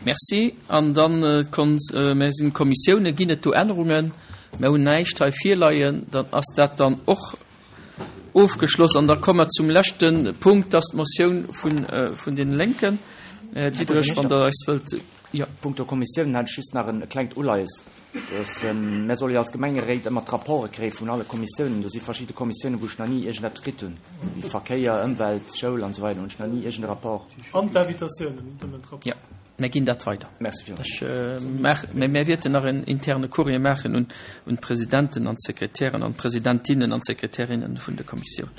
Merci. An dann d'Kon-, sinn d'Kommissiounen. Ginn et do Ännerungen? Mer hunn näischt hei virleien. Dann ass dat dann och ofgeschloss. An da komme mer zum leschte Punkt, dat ass d'Motioun vun, vun deene Lénken. Här Diderich, wann Der eis wëllt, jo. Punkto Kommissiounen hätt ech just nach e klengt Uleies. Dass, mär solle jo als Gemengeréit ëmmer d'Rapporte kréie vun alle Kommissiounen. Do si verschidde Kommissiounen, wou ech nach ni iergendeppes kritt hunn, wéi Verkéier, Ëmwelt, Schoul an esou weider, hunn ech nach ni iergende Rapport. An d'Invitatiounen, nëmmen d'Rapporten. Jo, mär ginn dat weider. Merci villmools. Ech maach, mä mär wäerten nach en interne Courrier maachen un, un d'Presidenten an d'Sekretären an d'Presidentinnen an d'Sekretärinnen vun de Kommissiounen.